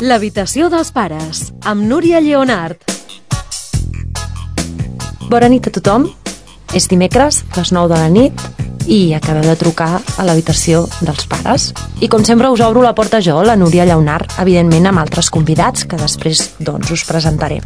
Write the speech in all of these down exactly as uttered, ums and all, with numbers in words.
L'habitació dels pares, amb Núria Lleonart. Bona nit a tothom. És dimecres, les nou de la nit, i acabeu de trucar a l'habitació dels pares. I com sempre us obro la porta jo, la Núria Lleonart, evidentment amb altres convidats que després doncs us presentaré.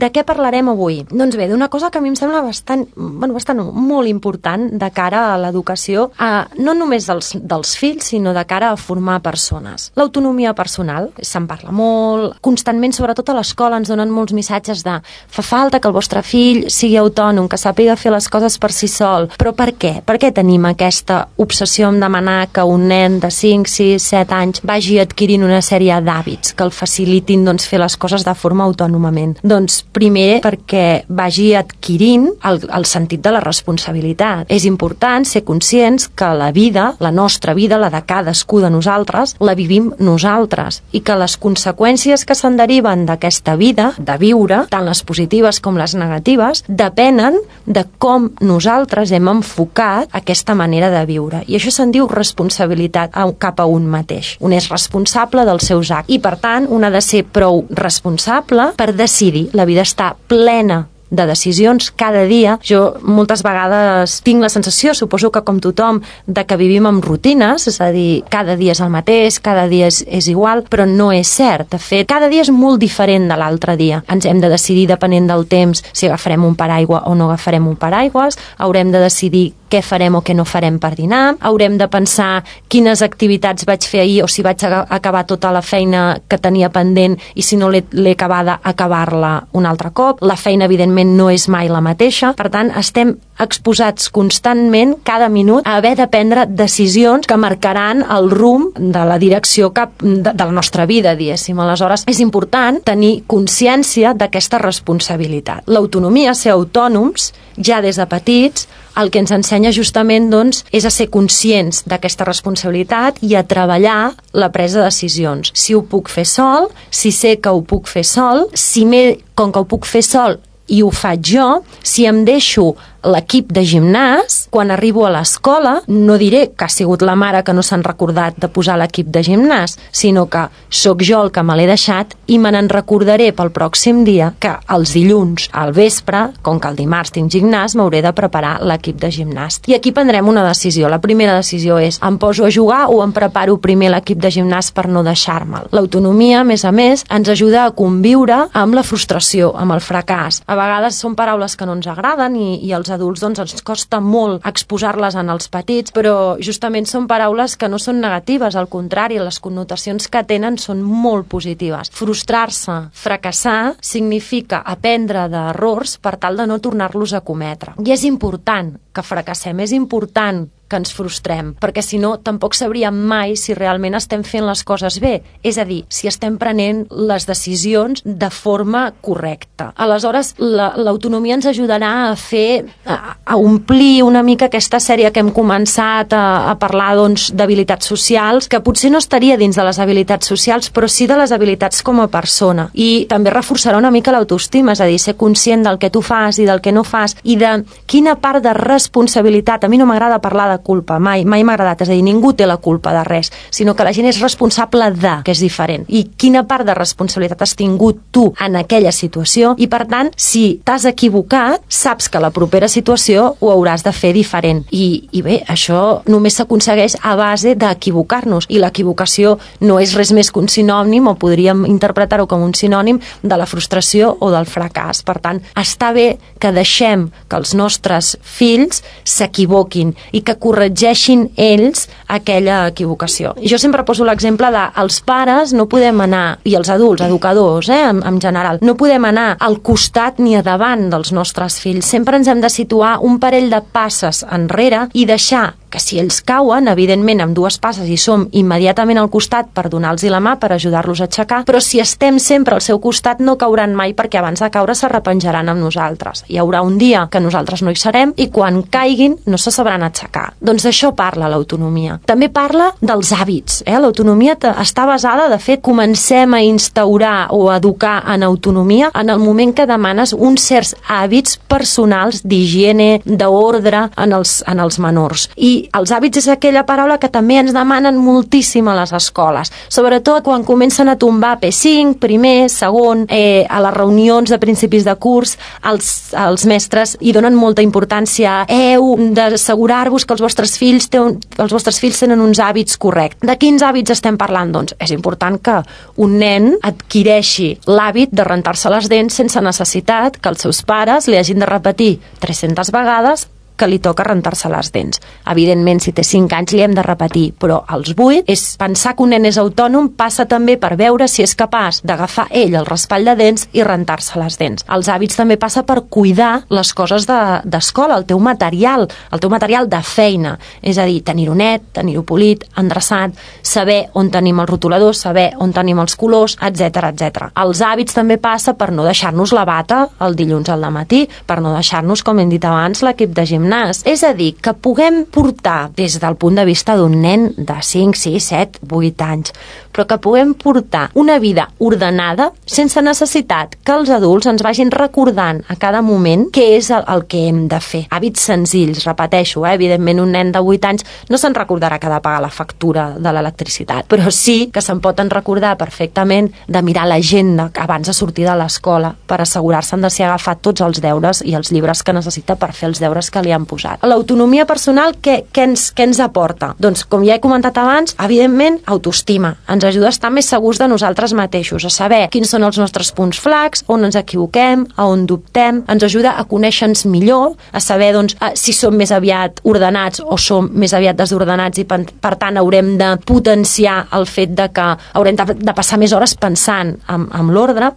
De què parlarem avui? Doncs bé, d'una cosa que a mi em sembla bastant, bueno, bastant molt important de cara a l'educació, a, no només dels, dels fills, sinó de cara a formar persones. L'autonomia personal, se'n parla molt, constantment, sobretot a l'escola, ens donen molts missatges de fa falta que el vostre fill sigui autònom, que sàpiga fer les coses per si sol. Però per què? Per què tenim aquesta obsessió en demanar que un nen de cinc, sis, set anys vagi adquirint una sèrie d'hàbits que el facilitin doncs, fer les coses de forma autònomament? Doncs primer, perquè vagi adquirint el, el sentit de la responsabilitat. És important ser conscients que la vida, la nostra vida, la de cadascú de nosaltres, la vivim nosaltres i que les conseqüències que se'n deriven d'aquesta vida, de viure, tant les positives com les negatives, depenen de com nosaltres hem enfocat aquesta manera de viure. I això se'n diu responsabilitat cap a un mateix. Un és responsable dels seus actes i, per tant, un ha de ser prou responsable per decidir. La vida està plena de decisions cada dia. Jo moltes vegades tinc la sensació, suposo que com tothom, de que vivim amb rutines, és a dir, cada dia és el mateix, cada dia és, és igual, però no és cert. De fet, cada dia és molt diferent de l'altre dia. Ens hem de decidir, depenent del temps, si agafarem un paraigua o no agafarem un paraigües, haurem de decidir què farem o què no farem per dinar, haurem de pensar quines activitats vaig fer ahir o si vaig acabar tota la feina que tenia pendent i si no l'he acabada, acabar-la un altre cop. La feina, evidentment, no és mai la mateixa. Per tant, estem exposats constantment, cada minut, a haver de prendre decisions que marcaran el rumb de la direcció cap de, de la nostra vida, diguéssim. Aleshores, és important tenir consciència d'aquesta responsabilitat. L'autonomia, ser autònoms, ja des de petits, el que ens ensenya justament doncs, és a ser conscients d'aquesta responsabilitat i a treballar la presa de decisions. Si ho puc fer sol, si sé que ho puc fer sol, si m'he, com que ho puc fer sol i ho faig jo, si em deixo l'equip de gimnàs, quan arribo a l'escola, no diré que ha sigut la mare que no s'han recordat de posar l'equip de gimnàs, sinó que sóc jo el que me l'he deixat i me n'en recordaré pel pròxim dia que els dilluns al vespre, com que el dimarts tinc gimnàs, m'hauré de preparar l'equip de gimnàs. I aquí prendrem una decisió. La primera decisió és, em poso a jugar o em preparo primer l'equip de gimnàs per no deixar-me'l. L'autonomia, a més a més, ens ajuda a conviure amb la frustració, amb el fracàs. A vegades són paraules que no ens agraden i, i els adults doncs ens costa molt exposar-les en els petits, però justament són paraules que no són negatives, al contrari, les connotacions que tenen són molt positives. Frustrar-se, fracassar, significa aprendre d'errors per tal de no tornar-los a cometre. I és important que fracassem, és important que ens frustrem, perquè si no tampoc sabríem mai si realment estem fent les coses bé, és a dir, si estem prenent les decisions de forma correcta. Aleshores, l'autonomia ens ajudarà a fer, a, a omplir una mica aquesta sèrie que hem començat a, a parlar doncs, d'habilitats socials, que potser no estaria dins de les habilitats socials, però sí de les habilitats com a persona. I també reforçarà una mica l'autoestima, és a dir, ser conscient del que tu fas i del que no fas, i de quina part de responsabilitat. A mi no m'agrada parlar de culpa, mai, mai m'ha agradat, és a dir, ningú té la culpa de res, sinó que la gent és responsable de, que és diferent. I quina part de responsabilitat has tingut tu en aquella situació i, per tant, si t'has equivocat, saps que la propera situació ho hauràs de fer diferent. I, i bé, això només s'aconsegueix a base d'equivocar-nos, i l'equivocació no és res més que un sinònim, o podríem interpretar-ho com un sinònim de la frustració o del fracàs. Per tant, està bé que deixem que els nostres fills s'equivoquin i que corregeixin ells aquella equivocació. Jo sempre poso l'exemple de els pares no podem anar, i els adults, educadors, eh, en, en general, no podem anar al costat ni a davant dels nostres fills. Sempre ens hem de situar un parell de passes enrere i deixar que si ells cauen, evidentment amb dues passes hi som immediatament al costat per donar-los la mà, per ajudar-los a aixecar, però si estem sempre al seu costat no cauran mai, perquè abans de caure s'arrepenjaran amb nosaltres. Hi haurà un dia que nosaltres no hi serem i quan caiguin no se sabran aixecar. Doncs d'això parla l'autonomia. També parla dels hàbits. Eh? L'autonomia està basada, de fet, comencem a instaurar o a educar en autonomia en el moment que demanes uns certs hàbits personals d'higiene, d'ordre en els, en els menors. I I els hàbits és aquella paraula que també ens demanen moltíssim a les escoles, sobretot quan comencen a tombar P cinc, primer, segon, eh, a les reunions de principis de curs, els, els mestres hi donen molta importància. Heu d'assegurar-vos que els vostres fills tenen, els vostres fills tenen uns hàbits correctes. De quins hàbits estem parlant? Doncs és important que un nen adquireixi l'hàbit de rentar-se les dents sense necessitat que els seus pares li hagin de repetir tres-centes vegades que li toca rentar-se les dents. Evidentment, si té cinc anys li hem de repetir, però als vuit és pensar que un nen és autònom passa també per veure si és capaç d'agafar ell el raspall de dents i rentar-se les dents. Els hàbits també passa per cuidar les coses d'escola, de, el teu material, el teu material de feina, és a dir, tenir-ho net, tenir-ho polit, endreçat, saber on tenim els rotuladors, saber on tenim els colors, etcètera, etcètera. Els hàbits també passa per no deixar-nos la bata el dilluns al matí, per no deixar-nos, com hem dit abans, l'equip de gimnàs. És a dir, que puguem portar, des del punt de vista d'un nen de cinc, sis, set, vuit anys, però que puguem portar una vida ordenada sense necessitat que els adults ens vagin recordant a cada moment què és el, el que hem de fer. Hàbits senzills, repeteixo, eh? Evidentment un nen de vuit anys no se'n recordarà que ha de pagar la factura de l'electricitat, però sí que se'n poden recordar perfectament de mirar l'agenda abans de sortir de l'escola per assegurar-se'n de si ha agafat tots els deures i els llibres que necessita per fer els deures que li han posat. L'autonomia personal, què, què, ens, què ens aporta? Doncs, com ja he comentat abans, evidentment, autoestima. Ens ajuda a estar més segurs de nosaltres mateixos, a saber quins són els nostres punts flacs, on ens equivoquem, a on dubtem, ens ajuda a conèixer-nos millor, a saber doncs, si som més aviat ordenats o som més aviat desordenats i per, per tant haurem de potenciar el fet de que haurem de, de passar més hores pensant en, en l'ordre.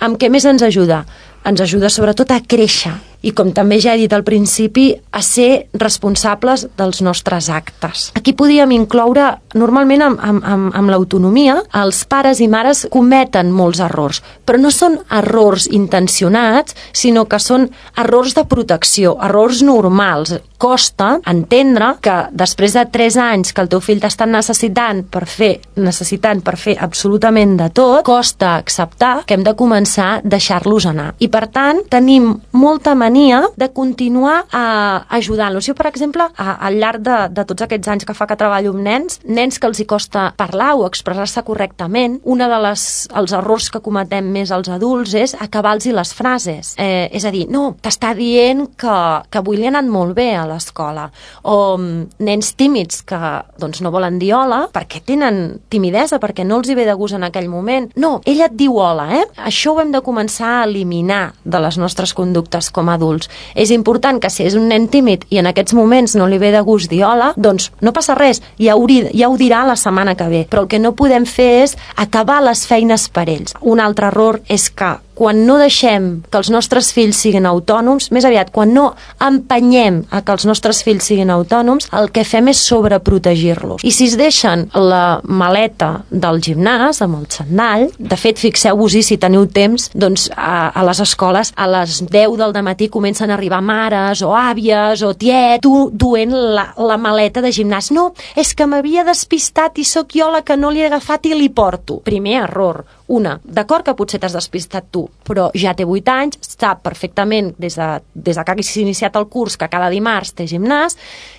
Amb què més ens ajuda? Ens ajuda sobretot a créixer i, com també ja he dit al principi, a ser responsables dels nostres actes. Aquí podríem incloure, normalment amb, amb, amb, amb l'autonomia, els pares i mares cometen molts errors, però no són errors intencionats, sinó que són errors de protecció, errors normals. Costa entendre que després de tres anys que el teu fill t'està necessitant per fer, necessitant per fer absolutament de tot, costa acceptar que hem de començar a deixar-los anar. I per tant, tenim molta mania de continuar a ajudant-los. Jo, per exemple, a, al llarg de, de tots aquests anys que fa que treballo amb nens, nens que els hi costa parlar o expressar-se correctament, un dels errors que cometem més els adults és acabar-los les frases. Eh, és a dir, no, t'està dient que, que avui li ha anat molt bé a l'escola. O nens tímids que doncs, no volen dir hola perquè tenen timidesa, perquè no els hi ve de gust en aquell moment. No, ella et diu hola, eh? Això ho hem de començar a eliminar de les nostres conductes com a adults. És important que si és un nen tímid i en aquests moments no li ve de gust dir hola, doncs no passa res, ja ho, ja ho dirà la setmana que ve. Però el que no podem fer és acabar les feines per ells. Un altre error és que quan no deixem que els nostres fills siguin autònoms, més aviat, quan no empenyem a que els nostres fills siguin autònoms, el que fem és sobreprotegir-los. I si es deixen la maleta del gimnàs amb el xandall, de fet, fixeu-vos-hi si teniu temps, doncs a, a les escoles a les deu del matí comencen a arribar mares o àvies o tiet, tu duent la, la maleta de gimnàs. No, és que m'havia despistat i sóc jo la que no li he agafat i li porto. Primer error. Una, d'acord que potser t'has despistat tu, però ja té vuit anys, sap perfectament des de, des de que hagis iniciat el curs que cada dimarts té gimnàs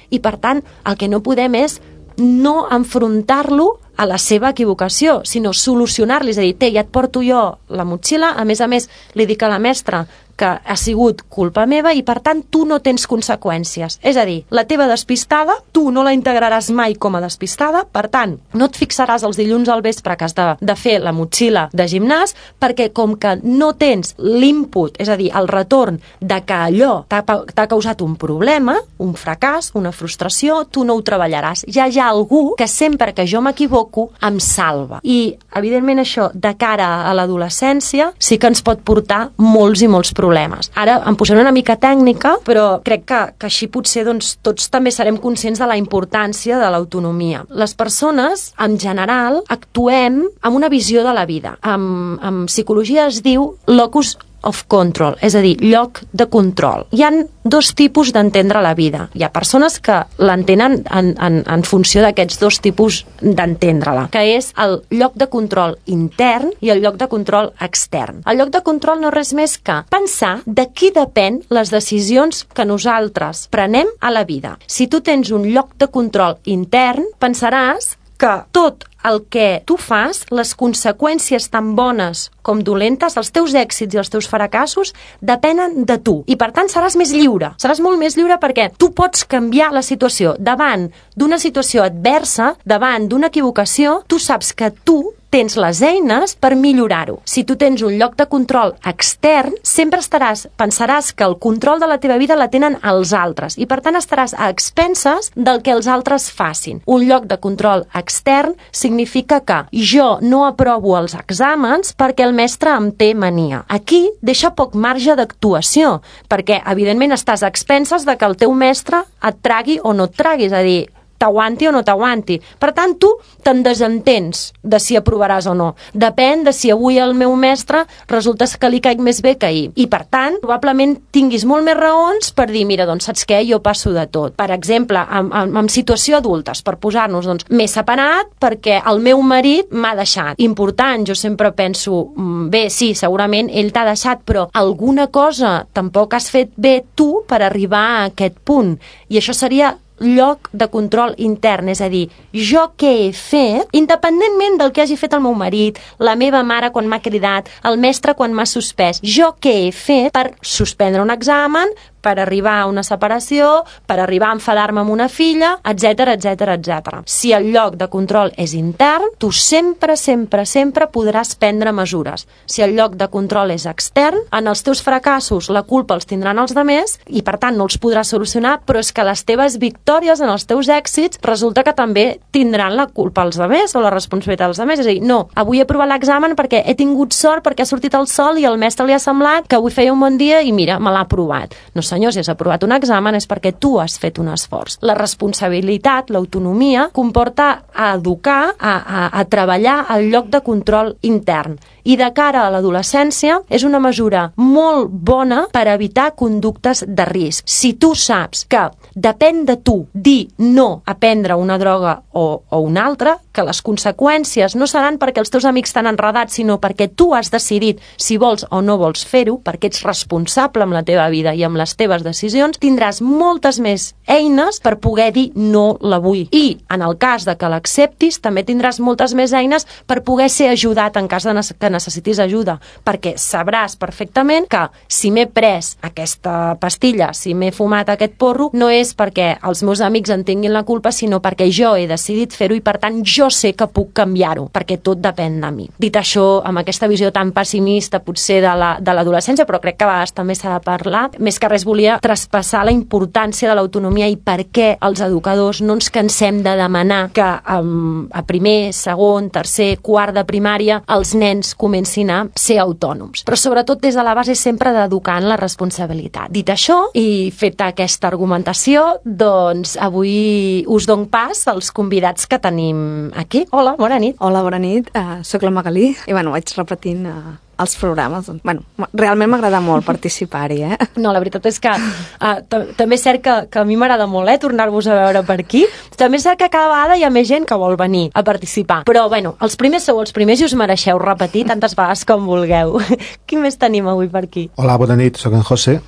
i, per tant, el que no podem és no enfrontar-lo a la seva equivocació, sinó solucionar-li, és a dir, té, ja et porto jo la motxilla, a més a més li dic a la mestra que ha sigut culpa meva i, per tant, tu no tens conseqüències. És a dir, la teva despistada, tu no la integraràs mai com a despistada, per tant, no et fixaràs els dilluns al vespre que has de, de fer la motxilla de gimnàs, perquè com que no tens l'input, és a dir, el retorn de que allò t'ha causat un problema, un fracàs, una frustració, tu no ho treballaràs. Ja hi ha algú que sempre que jo m'equivoco em salva. I, evidentment, això, de cara a l'adolescència, sí que ens pot portar molts i molts problemes. problemes. Ara em posaré una mica tècnica, però crec que, que així potser doncs, tots també serem conscients de la importància de l'autonomia. Les persones, en general, actuem amb una visió de la vida. En, en psicologia es diu locus of control, és a dir, lloc de control. Hi ha dos tipus d'entendre la vida. Hi ha persones que l'entenen en, en, en funció d'aquests dos tipus d'entendre-la, que és el lloc de control intern i el lloc de control extern. El lloc de control no és res més que pensar de qui depèn les decisions que nosaltres prenem a la vida. Si tu tens un lloc de control intern, pensaràs que tot el que tu fas, les conseqüències tan bones com dolentes, els teus èxits i els teus fracassos, depenen de tu. I, per tant, seràs més lliure. Seràs molt més lliure perquè tu pots canviar la situació. Davant d'una situació adversa, davant d'una equivocació, tu saps que tu tens les eines per millorar-ho. Si tu tens un lloc de control extern, sempre estaràs, pensaràs que el control de la teva vida la tenen els altres i, per tant, estaràs a expenses del que els altres facin. Un lloc de control extern significa que jo no aprovo els exàmens perquè el mestre em té mania. Aquí deixa poc marge d'actuació, perquè, evidentment, estàs a expenses de que el teu mestre et tragui o no et tragui, és a dir, t'aguanti o no t'aguanti. Per tant, tu te'n desentens de si aprovaràs o no. Depèn de si avui el meu mestre resulta que li caic més bé que ahir. I, per tant, probablement tinguis molt més raons per dir, mira, doncs, saps què? Jo passo de tot. Per exemple, en, en, en situació adultes, per posar-nos, doncs, m'he separat perquè el meu marit m'ha deixat. Important, jo sempre penso, bé, sí, segurament ell t'ha deixat, però alguna cosa tampoc has fet bé tu per arribar a aquest punt. I això seria lloc de control intern, és a dir, jo què he fet, independentment del que hagi fet el meu marit, la meva mare quan m'ha cridat, el mestre quan m'ha suspès, jo què he fet per suspendre un examen, per arribar a una separació, per arribar a enfadar-me amb una filla, etcètera, etcètera, etcètera. Si el lloc de control és intern, tu sempre, sempre, sempre podràs prendre mesures. Si el lloc de control és extern, en els teus fracassos la culpa els tindran els demés i, per tant, no els podràs solucionar, però és que les teves victòries en els teus èxits resulta que també tindran la culpa als demés o la responsabilitat als demés. És a dir, no, avui he provat l'examen perquè he tingut sort, perquè ha sortit el sol i al mestre li ha semblat que avui feia un bon dia i mira, me l'ha aprovat. No, senyor, si has aprovat un examen és perquè tu has fet un esforç. La responsabilitat, l'autonomia, comporta a educar, a, a, a treballar al lloc de control intern. I de cara a l'adolescència és una mesura molt bona per evitar conductes de risc. Si tu saps que depèn de tu dir no a prendre una droga o, o una altra, que les conseqüències no seran perquè els teus amics t'han enredat, sinó perquè tu has decidit si vols o no vols fer-ho, perquè ets responsable amb la teva vida i amb les teves decisions, tindràs moltes més eines per poder dir no la vull. I, en el cas de que l'acceptis, també tindràs moltes més eines per poder ser ajudat en cas de que necessitis ajuda, perquè sabràs perfectament que si m'he pres aquesta pastilla, si m'he fumat aquest porro, no és perquè els meus amics en tinguin la culpa, sinó perquè jo he decidit fer-ho i, per tant, jo sé que puc canviar-ho, perquè tot depèn de mi. Dit això, amb aquesta visió tan pessimista, potser de la, de l'adolescència, però crec que a vegades també s'ha de parlar, més que res volia traspassar la importància de l'autonomia i per què els educadors no ens cansem de demanar que um, a primer, segon, tercer, quart de primària els nens comencin a ser autònoms. Però sobretot des de la base sempre d'educar en la responsabilitat. Dit això, i feta aquesta argumentació, doncs avui us dono pas als convidats que tenim aquí. Hola, bona nit. Hola, bona nit. Uh, soc la Magalí i bueno, vaig repetint uh, els programes. Bueno, realment m'agrada molt participar-hi, eh? No, la veritat és que uh, també és cert que, que a mi m'agrada molt, eh, tornar-vos a veure per aquí. També és cert que cada vegada hi ha més gent que vol venir a participar. Però, bueno, els primers sou els primers i us mereixeu repetir tantes vegades com vulgueu. Qui més tenim avui per aquí? Hola, bona nit, soc en José.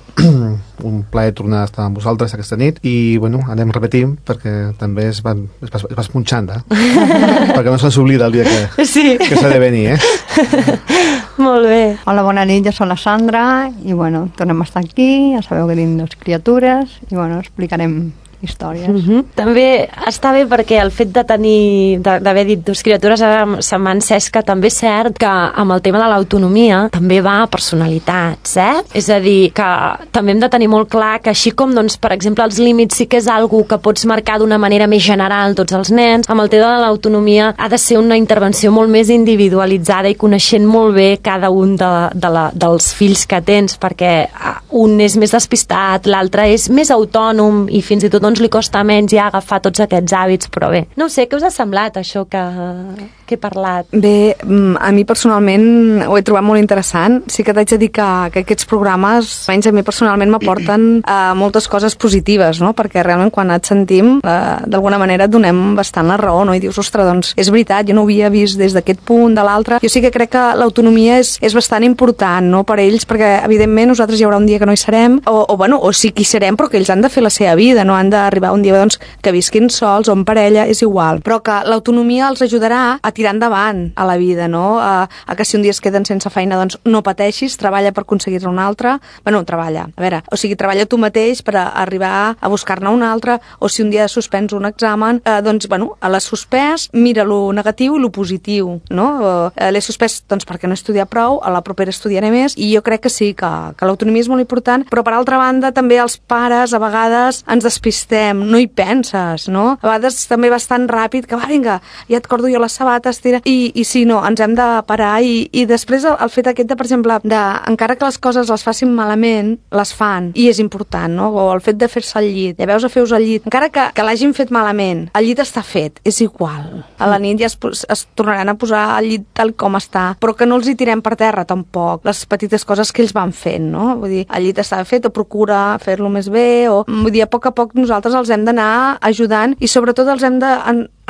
Un plaer tornar a estar amb vosaltres aquesta nit i, bueno, anem repetint perquè també es va, es va, es va esponxant, eh? Perquè no se'ns oblida el dia que, sí. que s'ha de venir, eh? Molt bé. Hola, bona nit, jo soc la Sandra i, bueno, tornem a estar aquí, ja sabeu que tenim dues criatures i, bueno, explicarem històries. Uh-huh. També està bé perquè el fet de tenir, d'haver dit dues criatures, se m'ha encès que també és cert que amb el tema de l'autonomia també va a personalitats, eh? És a dir, que també hem de tenir molt clar que així com, doncs, per exemple, els límits sí que és algo que pots marcar d'una manera més general tots els nens, amb el tema de l'autonomia ha de ser una intervenció molt més individualitzada i coneixent molt bé cada un de, de la, dels fills que tens, perquè un és més despistat, l'altre és més autònom i fins i tot doncs li costa menys ja agafar tots aquests hàbits, però bé. No sé, què us ha semblat això que, que he parlat? Bé, a mi personalment ho he trobat molt interessant. Sí que t'haig de dir que, que aquests programes, almenys a mi personalment, m'aporten uh, moltes coses positives, no? Perquè realment quan et sentim, uh, d'alguna manera et donem bastant la raó, no? I dius, ostres, doncs és veritat, jo no ho havia vist des d'aquest punt, de l'altre. Jo sí que crec que l'autonomia és, és bastant important, no?, per ells, perquè evidentment nosaltres hi haurà un dia que no hi serem, o, o bueno, o sí que hi serem, però que ells han de fer la seva vida, no han d'arribar un dia doncs, que visquin sols o en parella, és igual. Però que l'autonomia els ajudarà a tirar endavant a la vida, no? A, a que si un dia es queden sense feina, doncs no pateixis, treballa per aconseguir-ne una altra. Bueno, treballa, a veure, o sigui, treballa tu mateix per a arribar a buscar-ne una altra, o si un dia suspens un examen, eh, doncs, bueno, a l'has suspès, mira lo negatiu i lo positiu, no? Eh, l'he suspès, doncs, perquè no he estudiat prou, a la propera estudiaré més, i jo crec que sí, que, que l'autonomia és molt important, però per altra banda també els pares a vegades ens despistem, no hi penses, no? A vegades també vas tan ràpid que va, vinga, ja et cordo jo les sabates, tira, i, i sí, no, ens hem de parar, i, i després el, el fet aquest de, per exemple, de, encara que les coses les facin malament, les fan, i és important, no? O el fet de fer-se al llit, ja veus a fer-vos al llit, encara que, que l'hagin fet malament, el llit està fet, és igual. A la nit ja es, es tornaran a posar al llit tal com està, però que no els hi tirem per terra tampoc, les petites coses que ells van fent, no? Vull dir, el llit està fet, o procura fer-lo més bé, o vull dir, a poc a poc nosaltres els hem d'anar ajudant i sobretot els hem de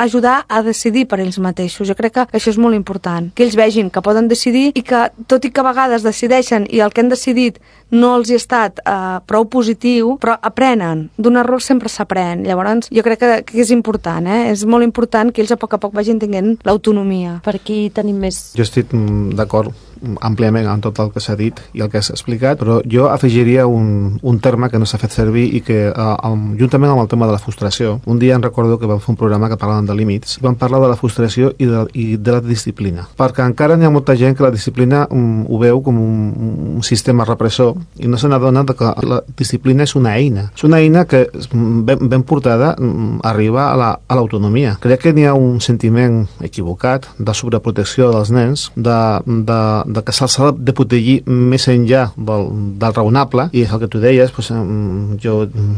ajudar a decidir per ells mateixos. Jo crec que això és molt important, que ells vegin que poden decidir i que, tot i que a vegades decideixen i el que han decidit no els hi ha estat eh, prou positiu, però aprenen. D'un error sempre s'aprèn. Llavors, jo crec que, que és important, eh? És molt important que ells a poc a poc vagin tenint l'autonomia. Per aquí tenim més... Jo estic d'acord àmpliament amb tot el que s'ha dit i el que has explicat, però jo afegiria un, un terme que no s'ha fet servir i que, eh, juntament amb el tema de la frustració, un dia em recordo que vam fer un programa que parlaven de límits, vam parlar de la frustració i de, i de la disciplina, perquè encara n'hi ha molta gent que la disciplina um, ho veu com un, un sistema repressor i no se n'adona que la disciplina és una eina, és una eina que ben, ben portada arriba a l'autonomia. La, Crec que n'hi ha un sentiment equivocat de sobreprotecció dels nens, de, de de que se'ls ha de protegir més enllà del, del raonable, i és el que tu deies, pues, jo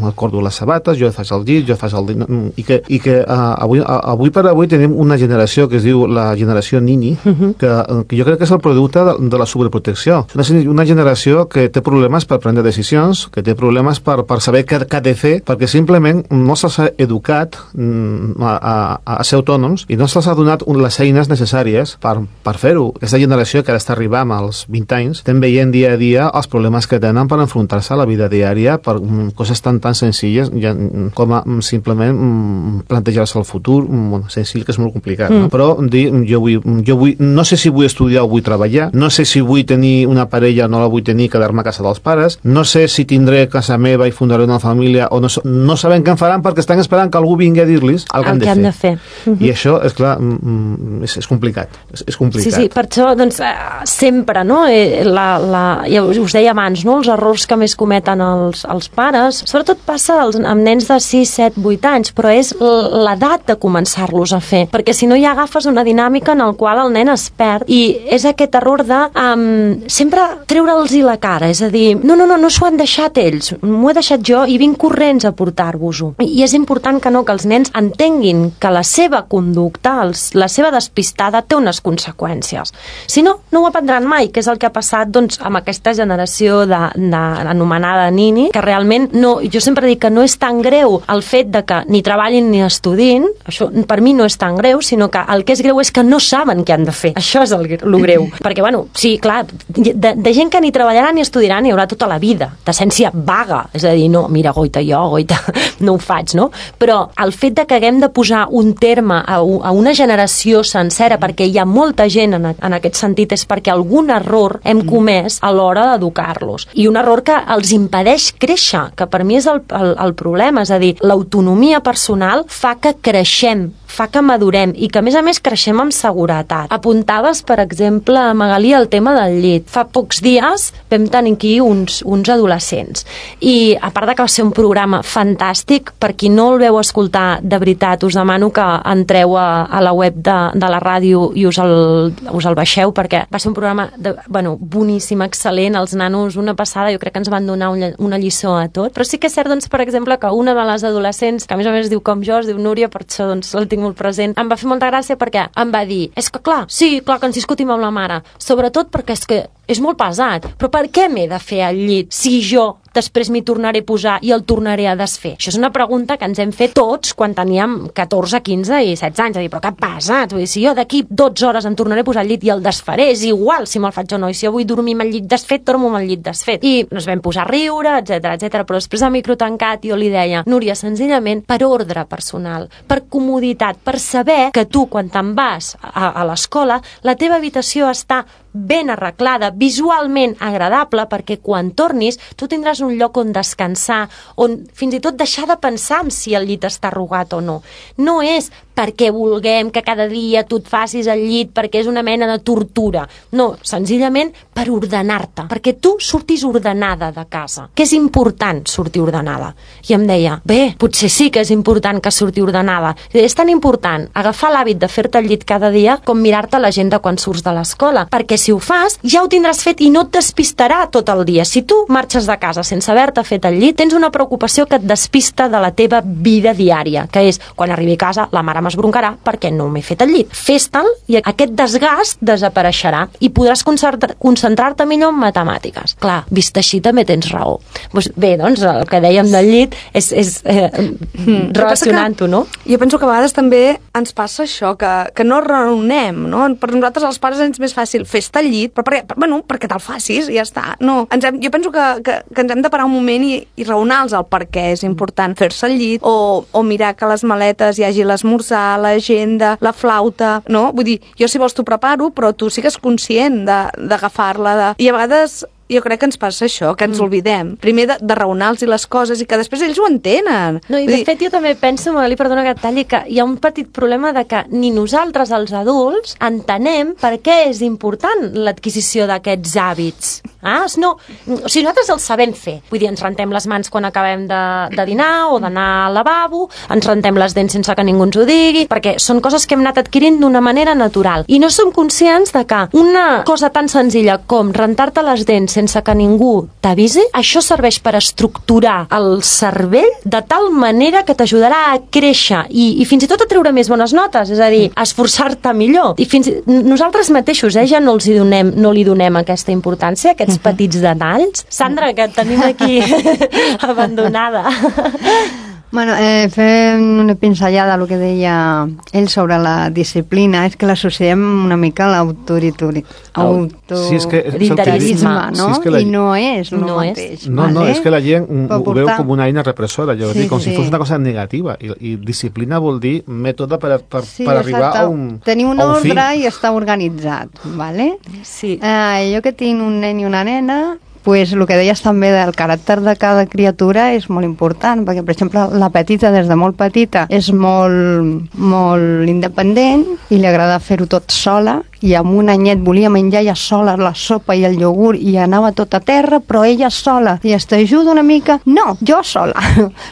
acordo les sabates, jo faig el llit, jo faig el dit, i que, i que uh, avui, uh, avui per avui tenim una generació que es diu la generació Nini, uh-huh. que, que jo crec que és el producte de, de la sobreprotecció. És una, una generació que té problemes per prendre decisions, que té problemes per, per saber què, què ha de fer, perquè simplement no se'ls ha educat a, a, a ser autònoms i no se'ls ha donat les eines necessàries per, per fer-ho. Aquesta generació que ara està arribant als vint anys, estem veient dia a dia els problemes que tenen per enfrontar-se a la vida diària per um, coses tan tan senzilles ja, com a um, simplement um, plantejar-se el futur, um, bueno, senzill que és molt complicat, mm. no? Però dir, jo, vull, jo vull, no sé si vull estudiar o vull treballar, no sé si vull tenir una parella o no la vull tenir, quedar-me a casa dels pares, no sé si tindré casa meva i fundaré una família o no, no sabem què en faran perquè estan esperant que algú vingui a dir-los el que han de fer. De fer. Uh-huh. I això, és clar, és, és complicat. És, és complicat. Sí, sí, per això, doncs, sempre, no? La, la, ja us deia abans, no? Els errors que més cometen els, els pares, sobretot passa als, amb nens de sis, set, vuit anys, però és l'edat de començar-los a fer, perquè si no ja agafes una dinàmica en el qual el nen es perd, i és aquest error de um, sempre treure'ls-hi la cara, és a dir, no, no, no, no s'ho han deixat ells, m'ho he deixat jo i vinc corrents a portar-vos-ho. I és important que no, que els nens entenguin que la seva conducta, els, la seva despistada té unes conseqüències. Si no, no ho aprendran mai, que és el que ha passat doncs, amb aquesta generació de, de, anomenada Nini, que realment no, jo sempre dic que no és tan greu el fet de que ni treballin ni estudin, això per mi no és tan greu, sinó que el que és greu és que no saben què han de fer. Això és el, el greu. Perquè, bueno, sí, clar, de, de gent que ni treballaran ni estudiaran hi haurà tota la vida, d'essència vaga, és a dir, no, mira, goita, jo, goita, no ho faig, no? Però el fet de que haguem de posar un terme a, a una generació sencera, perquè hi ha molta gent en, en aquest sentit, és perquè algun error hem comès a l'hora d'educar-los. I un error que els impedeix créixer, que per mi és el, el, el problema, és a dir, l'autonomia personal fa que creixem, fa que madurem i que, a més a més, creixem amb seguretat. Apuntaves, per exemple, Magalí, el tema del llit. Fa pocs dies vam tenir aquí uns, uns adolescents i, a part de que va ser un programa fantàstic, per qui no el veu escoltar, de veritat, us demano que entreu a, a la web de, de la ràdio i us el, us el baixeu, perquè va ser un un programa de, bueno, boníssim, excel·lent, els nanos una passada, jo crec que ens van donar una, una lliçó a tot, però sí que és cert, doncs, per exemple, que una de les adolescents, que a més a més es diu com jo, es diu Núria, per això doncs el tinc molt present, em va fer molta gràcia perquè em va dir, és que clar, sí, clar que ens discutim amb la mare, sobretot perquè és que és molt pesat, però per què m'he de fer al llit si jo després m'hi tornaré a posar i el tornaré a desfer? Això és una pregunta que ens hem fet tots quan teníem catorze, quinze i setze anys, a dir, però què passa? Vull dir, si jo d'aquí dotze hores em tornaré a posar al llit i el desfaré, és igual si me'l faig o no, i si jo vull dormir amb el llit desfet, dormo amb el llit desfet. I ens vam posar a riure, etcètera, etcètera, però després de micro tancat jo li deia, Núria, senzillament per ordre personal, per comoditat, per saber que tu, quan te'n vas a, a l'escola, la teva habitació està ben arreglada, visualment agradable, perquè quan tornis tu tindràs un lloc on descansar, on fins i tot deixar de pensar en si el llit està arrugat o no. No és perquè vulguem que cada dia tu et facis el llit, perquè és una mena de tortura. No, senzillament per ordenar-te, perquè tu surtis ordenada de casa, que és important sortir ordenada. I em deia, bé, potser sí que és important que surti ordenada. És tan important agafar l'hàbit de fer-te el llit cada dia com mirar-te l'agenda quan surts de l'escola, perquè si ho fas, ja ho tindràs fet i no et despistarà tot el dia. Si tu marxes de casa sense haver-te fet el llit, tens una preocupació que et despista de la teva vida diària, que és, quan arribi a casa, la mare m'esbroncarà perquè no m'he fet el llit. Fes-te'l i aquest desgast desapareixerà i podràs concentrar-te millor en matemàtiques. Clar, vist així també tens raó. Pues bé, doncs el que dèiem del llit és, és eh, mm. relacionant-ho, no? Jo penso que a vegades també ens passa això, que, que no raonem, no? Per nosaltres els pares és més fàcil fer-te el llit, però perquè, bueno, perquè te'l facis i ja està. No, ens hem, jo penso que, que, que ens hem de parar un moment i, i raonar-los el per què és important fer-se el llit, o, o mirar que a les maletes hi hagi l'esmorzar, l'agenda, la flauta, no? Vull dir, jo si vols t'ho preparo, però tu sigues conscient d'agafar-la. De... I a vegades jo crec que ens passa això, que ens mm. oblidem. Primer de, de raonar-los i les coses i que després ells ho entenen. No, i de dir... fet jo també penso, Magali, perdona que et talli, que hi ha un petit problema de que ni nosaltres, els adults, entenem per què és important l'adquisició d'aquests hàbits. Ah? No, o sigui, nosaltres els sabem fer. Vull dir, ens rentem les mans quan acabem de, de dinar o d'anar al lavabo, ens rentem les dents sense que ningú ens ho digui, perquè són coses que hem anat adquirint d'una manera natural. I no som conscients de que una cosa tan senzilla com rentar-te les dents sense que ningú t'avisi, això serveix per estructurar el cervell de tal manera que t'ajudarà a créixer i, i fins i tot a treure més bones notes, és a dir, a esforçar-te millor. I fins nosaltres mateixos eh, ja no, els hi donem, no li donem aquesta importància, aquests petits detalls. Sandra, que et tenim aquí abandonada. Bueno, eh, fent una pinzellada del que deia ell sobre la disciplina, és que l'associem una mica a l'autoritarisme, sí, és que, no? Sí, és que la... I no és el no mateix. És. No, vale? no, és que la gent ho portar... veu com una eina repressora, jo sí, dic, com sí. si fos una cosa negativa, i, i disciplina vol dir mètode per, per, sí, per arribar a un tenir un a un ordre fi. I estar organitzat, vale? Sí. Eh, jo que tinc un nen i una nena, pues el que deies també del caràcter de cada criatura és molt important, perquè, per exemple, la petita, des de molt petita, és molt, molt independent i li agrada fer-ho tot sola, i amb un anyet volia menjar ella sola la sopa i el iogurt i anava tot a terra, però ella sola. I es t'ajuda una mica? No, jo sola.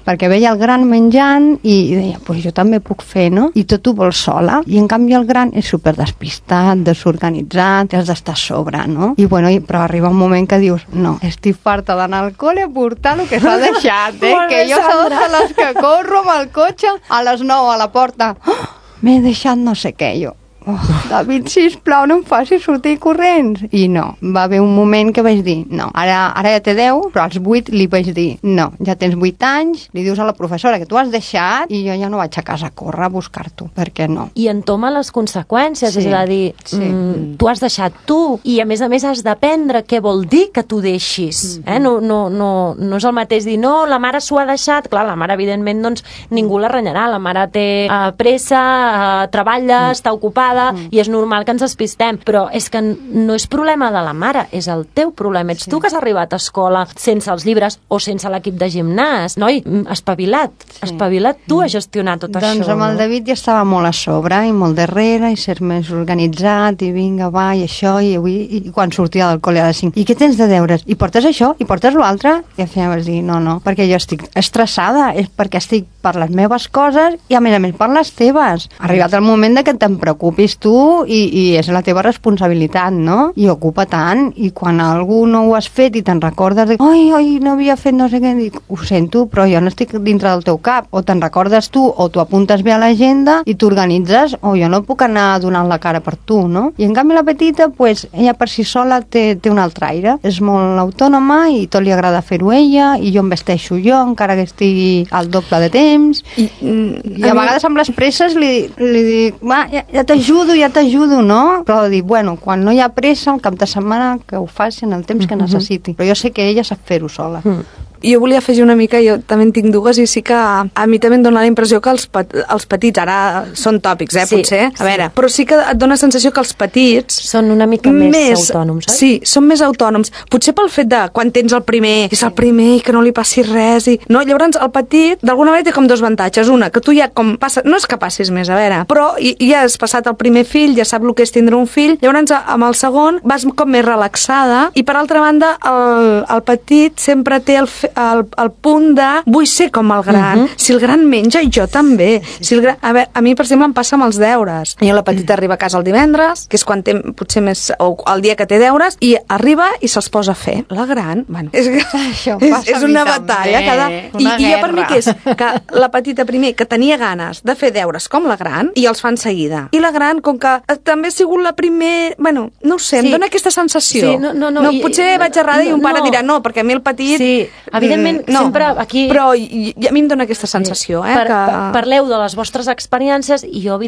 Perquè veia el gran menjant i deia, pues jo també puc fer, no? I tot ho vol sola. I en canvi el gran és super despistat, desorganitzat, has d'estar a sobre, no? I bueno, però arriba un moment que dius, no, estic farta d'anar al col·le a portar el que s'ha deixat, eh? Que jo soc de les que corro amb el cotxe a les nou a la porta. Oh, m'he deixat no sé què, jo. Oh, David, sisplau, no em facis sortir corrents. I no, va haver un moment que vaig dir no, ara, ara ja té deu, però als vuit li vaig dir no, ja tens vuit anys, li dius a la professora que tu has deixat i jo ja no vaig a casa a córrer a buscar-t'ho, perquè no. I entoma les conseqüències, sí, és a dir, sí. mm, tu has deixat tu i a més a més has d'aprendre què vol dir que tu deixis. Mm-hmm. eh? no, no, no, no és el mateix dir no, la mare s'ho ha deixat, clar, la mare evidentment doncs ningú la renyarà, la mare té uh, pressa, uh, treballa, mm. està ocupada, Mm. i és normal que ens despistem, però és que no és problema de la mare, és el teu problema. Ets sí. tu que has arribat a escola sense els llibres o sense l'equip de gimnàs. Noi, espavila't, sí. espavila't tu a gestionar tot doncs això. Doncs amb el David ja estava molt a sobre i molt darrere i ser més organitzat i vinga, va, i això, i avui, i quan sortia del col·le a les cinc. I què tens de deures? I portes això? I portes l'altre? I al final vas dir, no, no, perquè jo estic estressada, és perquè estic per les meves coses i, a més a més, per les teves. Ha arribat el moment de que te'n preocupis tu i, i és la teva responsabilitat, no? I ocupa tant. I quan algú no ho has fet i te'n recordes de ai, ai, no havia fet no sé què, dic, ho sento, però jo no estic dintre del teu cap. O te'n recordes tu, o t'ho apuntes bé a l'agenda i t'organitzes, o jo no puc anar donant la cara per tu, no? I en canvi la petita, pues, ella per si sola té, té un altre aire. És molt autònoma i tot li agrada fer-ho ella, i jo em vesteixo jo, encara que estigui al doble de temps. I, i a, a vegades amb les presses li, li dic, va, ja, ja t'ajudo, ja t'ajudo, no? Però dic, bueno, quan no hi ha pressa, el cap de setmana que ho faci en el temps que necessiti. Però jo sé que ella sap fer-ho sola. Mm. Jo volia afegir una mica, jo també en tinc dues i sí que a mi també em dona la impressió que els, pet, els petits, ara són tòpics, eh, sí, potser, a veure, sí. Però sí que et dona la sensació que els petits són una mica més, més autònoms, oi? Sí, són més autònoms, potser pel fet de quan tens el primer, és el primer i que no li passi res, i no, llavors el petit d'alguna manera té com dos avantatges, una, que tu ja com passa, no és que passis més, a veure, però ja has passat el primer fill, ja sap el que és tindre un fill, llavors amb el segon vas com més relaxada i per altra banda el, el petit sempre té el, el, el punt de vull ser com el gran, uh -huh. si el gran menja i jo també, si el gran... a, veure, a mi per exemple em passa amb els deures, jo la petita arriba a casa el divendres, que és quan té potser més, o el dia que té deures, i arriba i se'ls posa a fer, la gran, bueno, és, això és, és una batalla cada... I, i jo per mi que és que la petita primer que tenia ganes de fer deures com la gran i els fan seguida, i la gran com que també ha sigut la primer, bueno, no ho sé, sí. Em dona aquesta sensació, sí, no, no, no, no, i, potser vaig errada no, i un pare no. dirà no, perquè a mi el petit sí, evidentment no, sempre aquí... Però i, i a mi em dona aquesta sensació, eh? Per, que... Parleu de les vostres experiències i jo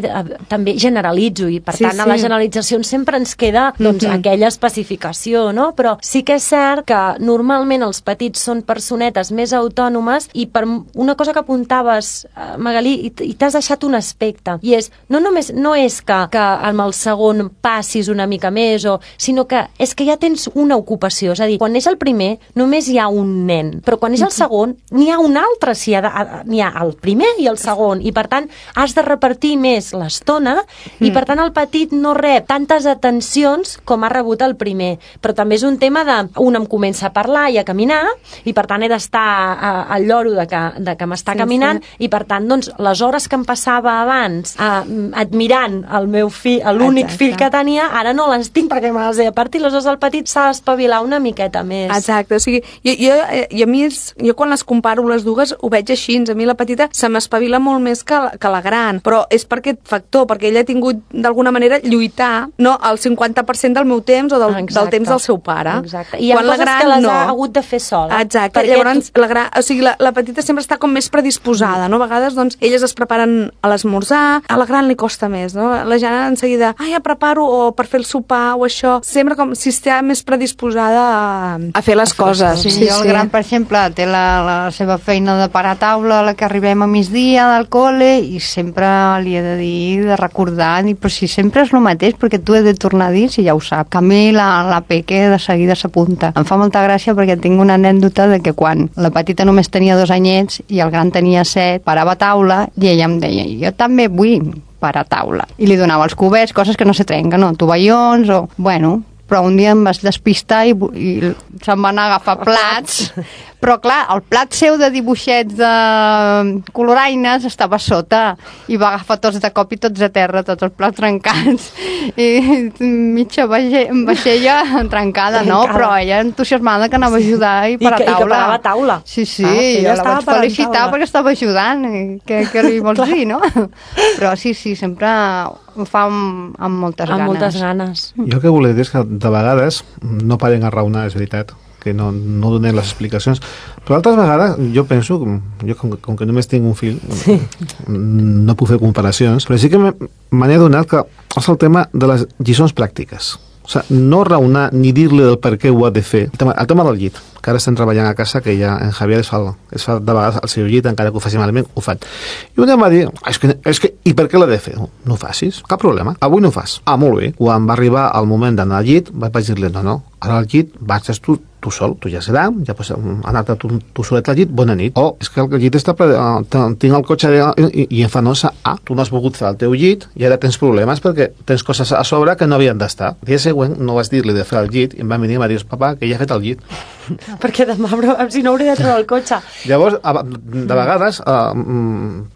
també generalitzo i per sí, tant sí. A les generalitzacions sempre ens queda doncs, mm -hmm. aquella especificació, no? Però sí que és cert que normalment els petits són personetes més autònomes i per una cosa que apuntaves, Magalí, i t'has deixat un aspecte, i és, no només no és que, que amb el segon passis una mica més, o, sinó que és que ja tens una ocupació, és a dir, quan neix el primer només hi ha un nen, però quan és el segon n'hi ha un altre, si n'hi ha el primer i el segon, i per tant has de repartir més l'estona i per tant el petit no rep tantes atencions com ha rebut el primer, però també és un tema de un em comença a parlar i a caminar i per tant he d'estar al lloro de que, de que m'està sí, caminant sí. I per tant doncs les hores que em passava abans uh, admirant el meu fill, l'únic fill que tenia, ara no les tinc perquè me les he de partir, aleshores el petit s'ha d'espavilar una miqueta més. Exacte, o sigui, jo, jo, i a mi és, jo quan les comparo les dues ho veig així, a mi la petita se m'espavila molt més que la, que la gran, però és per aquest factor, perquè ella ha tingut d'alguna manera lluitar, no, el cinquanta per cent del meu temps o del, del temps del seu pare. Exacte. I hi ha quan coses la gran, que les no. ha hagut de fer sola. Exacte, llavors tu... la, gran, o sigui, la, la petita sempre està com més predisposada, no? A vegades doncs elles es preparen a l'esmorzar, a la gran li costa més, no? La Jana en seguida, ah, ja preparo o per fer el sopar o això, sempre com si està més predisposada a, a fer les coses. Sí, sí, jo el sí. gran, per exemple, té la, la seva feina de parar a taula a la que arribem a migdia del col·le i sempre li he de dir, de recordar, dir, però si sempre és el mateix, perquè tu he de tornar a dir si ja ho sap. Que a mi la, la Peque de seguida s'apunta. Em fa molta gràcia perquè tinc una anècdota de que quan la petita només tenia dos anyets i el gran tenia set, parava a taula i ella em deia, jo també vull parar a taula. I li donava els cubets, coses que no se trenquen, no? Tovallons o... Bueno, però un dia em vas despistar i, i se'm van agafar plats, però clar, el plat seu de dibuixets de coloraines estava sota i va agafar tots de cop i tots a terra, tots els plats trencats i mitja vaixella trencada, no? Però ella entusiasmada que anava a ajudar i per a taula. I que parava a taula. Sí, sí, ah, jo la vaig felicitar perquè estava ajudant, què, què li vols dir, no? Però sí, sí, sempre ho fa amb, amb moltes amb ganes. Amb moltes ganes. Jo el que volia dir és que de vegades no paren a raonar, és veritat, que no, no donen les explicacions, però altres vegades jo penso, jo com, com que només tinc un fill, sí. no puc fer comparacions, però sí que me n'he adonat que és el tema de les lliçons pràctiques. O sigui, no raonar ni dir-li del per què ho ha de fer. El tema, el tema del llit, que ara estem treballant a casa, que ja en Javier es fa, es fa de vegades el seu llit, encara que ho faci malament, ho fan. I un dia em va dir, és que, és que, i per què l'ha de fer? No, no ho facis, cap problema. Avui no ho fas. Ah, molt bé. Quan va arribar el moment d'anar al llit, vaig dir-li, no, no, ara al llit vaig tu, tu sol, tu ja serà, ja pots anar-te tu, tu solet al llit, bona nit. O, és que el llit està ple, tinc el cotxe i, i em fa nosa, ah, tu no has volgut fer el teu llit i ara tens problemes perquè tens coses a sobre que no havien d'estar. El dia següent no vas dir-li de fer el llit i em va venir i em va dir, papa, que ja he fet el llit. perquè demà si no hauré de treure el cotxe. Llavors, de vegades, uh,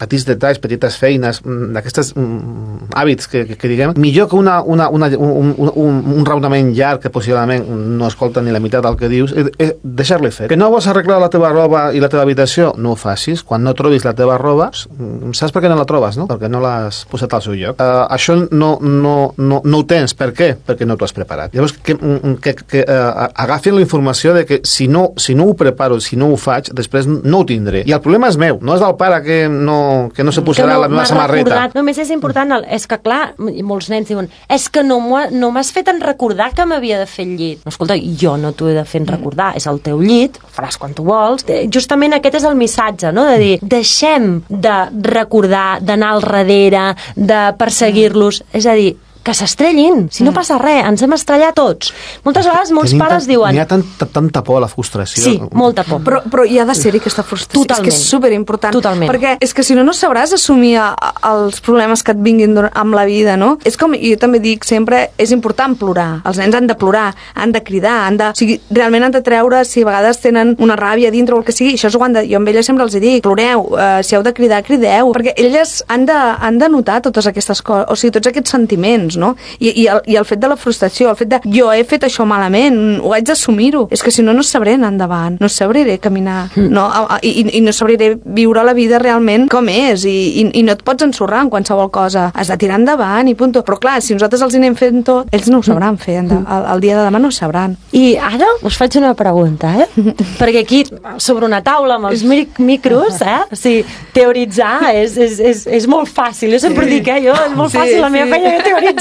petits detalls, petites feines, d'aquestes um, hàbits que, que, que diguem, millor que una, una, una, un, un, un raonament llarg que possiblement no escolta ni la meitat del que dius, és, és deixar-li fer. Que no vols arreglar la teva roba i la teva habitació? No ho facis. Quan no trobis la teva roba, saps per què no la trobes, no? Perquè no l'has posat al seu lloc. Uh, això no, no, no, no ho tens. Per què? Perquè no t'ho has preparat. Llavors, que, que, que uh, agafin la informació de que si no, si no ho preparo, si no ho faig, després no ho tindré. I el problema és meu, no és del pare que no, que no se posarà no, la meva samarreta. Recordat. Només és important, és que clar, molts nens diuen, és que no m'has fet en recordar que m'havia de fer el llit. No, escolta, jo no t'ho he de fer en recordar, és el teu llit, ho faràs quan tu vols. Justament aquest és el missatge, no? De dir, deixem de recordar, d'anar al darrere, de perseguir-los, és a dir, que s'estrellin, si no passa res, ens hem estrellat tots. Moltes vegades molts Tenim pares tan, diuen... N'hi ha tanta, tanta por a la frustració. Sí, molta por. Però, però hi ha de ser-hi aquesta frustració. Totalment. És que és superimportant. Totalment. Perquè és que si no, no sabràs assumir a, a, els problemes que et vinguin amb la vida, no? És com, jo també dic sempre, és important plorar. Els nens han de plorar, han de cridar, han de... O sigui, realment han de treure, si a vegades tenen una ràbia dintre o el que sigui, això ho han de... Jo amb elles sempre els dic, ploreu, eh, si heu de cridar, crideu, perquè elles han de, han de notar totes aquestes coses, o sigui, tots aquests sentiments, no? I, i el, i el fet de la frustració, el fet de jo he fet això malament, ho haig d'assumir-ho. És que si no, no sabré anar endavant, no sabré caminar, no? I, i no sabré viure la vida realment com és, i, i, i no et pots ensorrar en qualsevol cosa. Has de tirar endavant i punt. Però clar, si nosaltres els hi anem fent tot, ells no ho sabran fer, el, el dia de demà no ho sabran. I ara us faig una pregunta, eh? Perquè aquí, sobre una taula amb els micros, eh? O sigui, teoritzar és, és, és, és molt fàcil. Jo sempre sí. dic, eh? Jo, és molt fàcil sí, la meva sí. feina que teoritzo.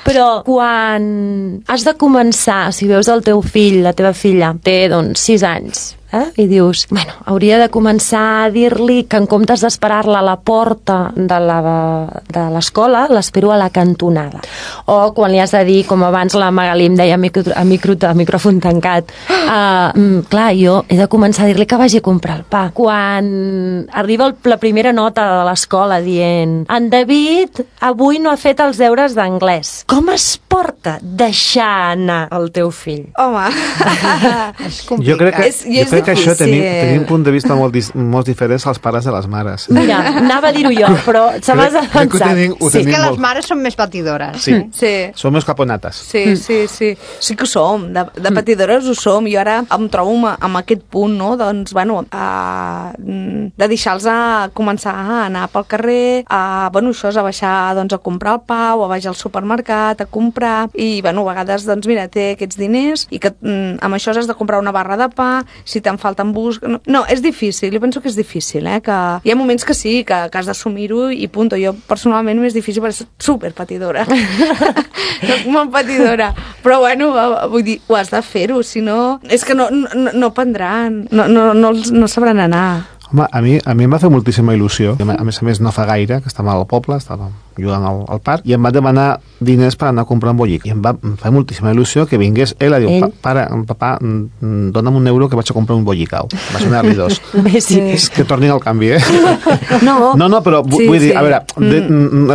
Però quan has de començar, si veus el teu fill, la teva filla, té doncs sis anys, eh? I dius, bueno, hauria de començar a dir-li que en comptes d'esperar-la a la porta de l'escola, l'espero a la cantonada. O quan li has de dir, com abans la Magalí em deia a, micro, a, micro, a micròfon tancat, uh, clar, jo he de començar a dir-li que vagi a comprar el pa. Quan arriba el, la primera nota de l'escola dient, en David avui no ha fet els deures d'anglès. Com es porta deixar anar el teu fill? Home, és complicat. Jo crec que, és, jo crec que això tenim, tenim un punt de vista molt, dis, molt diferents als pares de les mares. Mira, anava a dir-ho jo, però se m'has avançat. Sí, és que les mares són més patidores. Sí, sí. Som més caponates. Sí, sí, sí. Sí que ho som, de, de patidores ho som. Jo ara em trobo amb, amb aquest punt, no? Doncs, bueno, a, de deixar-los a començar a anar pel carrer, a, bueno, això és a baixar doncs, a comprar el pa o a baixar al supermercat, a comprar, i, bueno, a vegades, doncs, mira, té aquests diners i que mm, amb això has de comprar una barra de pa, si te'n falten bus... No, no, és difícil, jo penso que és difícil, eh? Que hi ha moments que sí, que, que has d'assumir-ho i punt. Jo, personalment, m'és difícil perquè soc superpatidora. Soc molt patidora. Però, bueno, vull dir, ho has de fer-ho, si no... És que no, no, no prendran, no, no, no, no sabran anar. Home, a mi, a mi em va fer moltíssima il·lusió. A més a més, no fa gaire, que estava al poble, estava jugant al, al parc, i em va demanar diners per anar a comprar un bollic. I em va em fa moltíssima il·lusió que vingués ell a dir, ell? pare, papà, dona'm un euro que vaig a comprar un bollicau. Va sonar-li dos. Sí. És que tornin al canvi, eh? No, no, no però sí, vull dir, sí. a veure, mm.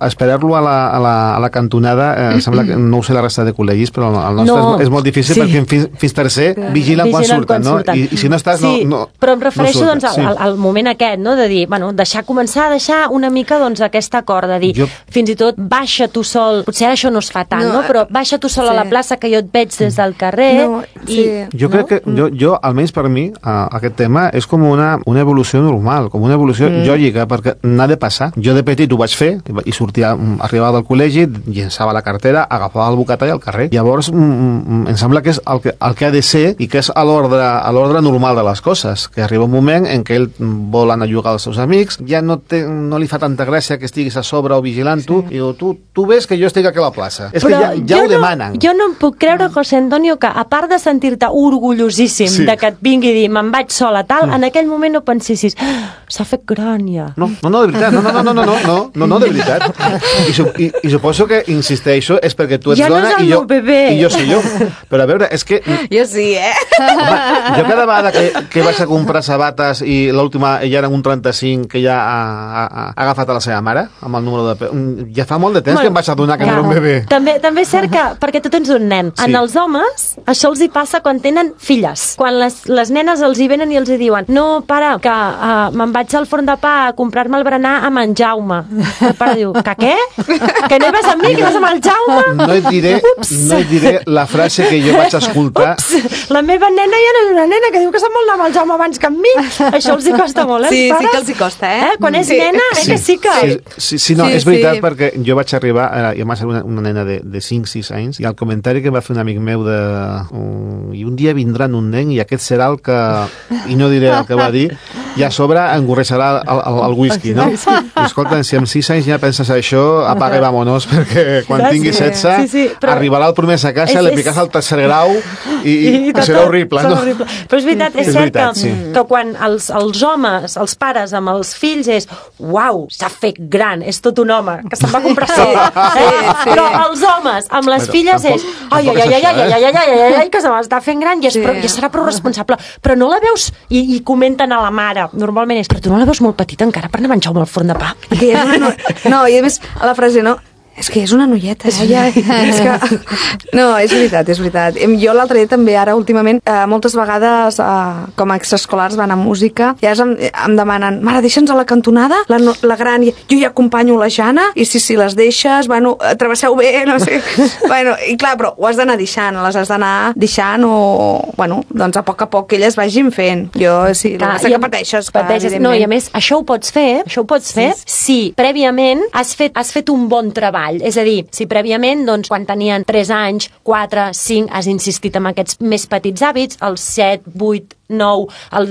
esperar-lo a, la, a, la, a la cantonada, eh, sembla que no ho sé la resta de col·legis, però el nostre no. és, és molt difícil sí. perquè fins, fins tercer vigilen quan surten, quan no? Surten. I, I si no estàs, sí, no, no però em refereixo no doncs, al, al moment aquest, no? De dir, bueno, deixar començar a deixar una mica doncs, aquest acord, de dir, jo... fins i tot baixa tu sol, potser ara això no es fa tant, no, no? Però baixa tu sol sí. a la plaça que jo et veig des del carrer. No, sí. i, jo crec no? que, jo, jo, almenys per mi, uh, aquest tema és com una, una evolució normal, com una evolució mm. lògica, perquè n'ha de passar. Jo de petit ho vaig fer, i sortia, arribava del col·legi, llençava la cartera, agafava el bocatall al carrer. Llavors, mm, em sembla que és el que, el que ha de ser i que és a l'ordre normal de les coses, que arriba un moment en què ell vol anar a jugar als seus amics, ja no, té, no li fa tanta gràcia que estiguis a sobre o vigilant tu, sí. i diu, tu, tu ves que jo estic aquí a la plaça. És Però que ja, ja ho no, demanen. Jo no em puc creure, José Antonio, que a part de sentir-te orgullosíssim sí. de que et vingui a dir me'n vaig sola tal, mm. en aquell moment no pensessis ah, s'ha fet gran ja. No, no, no, de veritat, no, no, no, no, no, no, no, no, de veritat. I, su, i, i suposo que, insisteixo, és perquè tu ets ja dona no i, jo, i jo soy jo. Però a veure, és que... Jo sí, eh? Home, jo cada vegada que, que vaig a comprar sabates hores i l'última ja eren un trenta-cinc que ja ha, ha, ha agafat a la seva mare amb el número de... Ja fa molt de temps bueno, que em vaig adonar que ja. no era un bebè. També, també és cert que, perquè tu tens un nen, sí. en els homes això els hi passa quan tenen filles. Quan les, les nenes els hi venen i els hi diuen no, pare, que uh, me'n vaig al forn de pa a comprar-me el berenar amb en Jaume. El pare diu, que què? Que no hi vas amb mi, que vas amb el Jaume? No et diré, no et diré la frase que jo vaig escoltar. Ups, la meva nena ja no és una nena que diu que se'n vol anar amb el Jaume abans que amb mi. Això els hi costa molt, eh? Sí, pares? sí que els hi costa, eh? eh? Quan és sí. nena, eh, sí. que sí que... Sí, sí, sí no, sí, és veritat sí. perquè jo vaig arribar, eh, jo vaig ser una, una nena de, de cinc sis anys i el comentari que va fer un amic meu de um, i un dia vindran un nen i aquest serà el que, i no diré el que va dir, i a sobre engorreixarà el, el, el whisky, no? I escolta, si amb sis anys ja penses això, apaga i vámonos, perquè quan sí, tingui setze sí, sí, però... arribarà el primer a casa, és, li piques el tercer grau i, i, i tot, serà horrible, no? Horrible. Però és veritat, és, és cert veritat, que, sí. que quan els, els homes, els pares amb els fills és, uau, s'ha fet gran, és tot un home, que se'n va comprar sola. Sí, eh? sí. Però els homes amb les però, filles tampoc, és, ai, ai, ai, ai, ai, ai, ai, ai, ai, ai, que se m'està fent gran i és, sí. però, ja serà prou responsable. Però no la veus, i, i comenten a la mare, normalment és, però tu no la veus molt petita encara per anar a menjar al forn de pa. Que és una, no, no, i a més, a la frase, no, és que és una noieta, eh? Ja, és que... No, és veritat, és veritat. Jo l'altre dia també, ara, últimament, eh, moltes vegades, eh, com a extraescolars van a música, i ara em, em demanen, mare, deixa'ns a la cantonada, la, la gran, jo ja acompanyo la Jana, i si, si les deixes, bueno, travesseu bé, no sé... Bueno, i clar, però ho has d'anar deixant, les has d'anar deixant o, bueno, doncs a poc a poc que elles vagin fent. Jo, sí, clar, el que que pateixes, clar, pateixes. No, i a més, això ho pots fer, això ho pots fer sí. si prèviament has fet, has fet un bon treball. És a dir, si prèviament, doncs, quan tenien tres anys, quatre, cinc, has insistit en aquests més petits hàbits, els set, vuit, nou, el,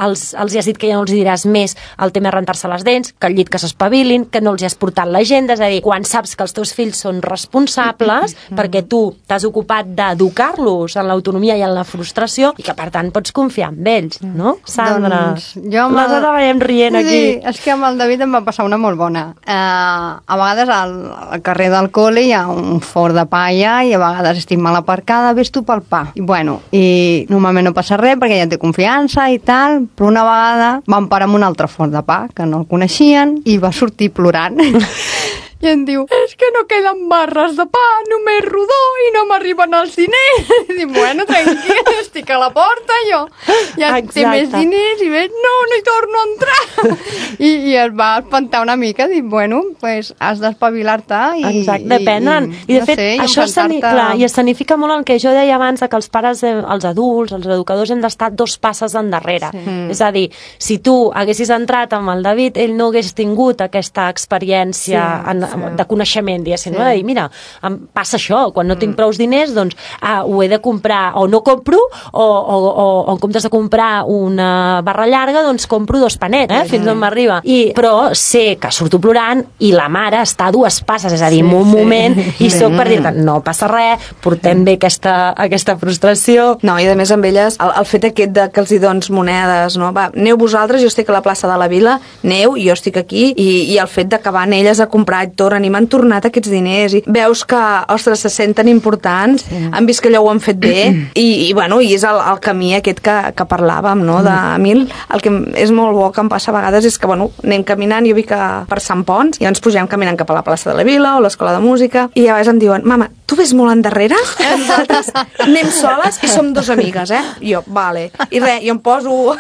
els, els hi has dit que ja no els diràs més el tema de rentar-se les dents, que al llit que s'espavilin, que no els hi has portat l'agenda, és a dir, quan saps que els teus fills són responsables perquè tu t'has ocupat d'educar-los en l'autonomia i en la frustració i que per tant pots confiar en ells, no? Sandra, doncs jo amb les el... veiem rient aquí. Sí, és que amb el David em va passar una molt bona. Eh, a vegades al, al carrer del col·le hi ha un forn de pa allà i a vegades estic mal aparcada, ves tu pel pa. I bueno, i normalment no passa res perquè ja té confiança i tal, però una vegada vam parar amb un altre forn de pa que no el coneixien i va sortir plorant i em diu, és que no queden barres de pa, només rodó i no m'arriben els diners. I dic, bueno, tranquil, estic a la porta, jo ja Exacte. té més diners i veig, no, no hi torno a entrar. I, i es va espantar una mica, dic, bueno, pues has d'espavilar-te. I, Exacte, depenen. I, i, I de no fet, sé, això i escenifica molt el que jo deia abans, que els pares, els adults, els educadors hem d'estar dos passes endarrere. Sí. És a dir, si tu haguessis entrat amb el David, ell no hagués tingut aquesta experiència sí. en de coneixement, diguéssim, sí. no? De dir, mira, em passa això, quan no tinc prous diners, doncs ah, ho he de comprar, o no compro, o, o, o, o en comptes de comprar una barra llarga, doncs compro dos panets, eh? Fins on m'arriba. I, però sé que surto plorant i la mare està a dues passes, és a dir, sí, en un sí. moment, i soc per dir-te, no passa res, portem bé aquesta, aquesta frustració. No, i a més amb elles, el, el fet aquest de que els hi dones monedes, no? Va, aneu vosaltres, jo estic a la plaça de la Vila, aneu, jo estic aquí, i, i el fet de que van elles a comprar tornen i m'han tornat aquests diners i veus que, ostres, se senten importants, sí. han vist que allò ho han fet bé i, i bueno, i és el, el camí aquest que, que parlàvem, no? De, a mi el, el que és molt bo que em passa a vegades és que, bueno, anem caminant, jo vi que per Sant Pons, i ens pugem caminant cap a la plaça de la Vila o l'escola de música, i a vegades em diuen, mama, tu ves molt endarrere? Nosaltres anem soles i som dos amigues, eh? I jo, vale. I res, jo em poso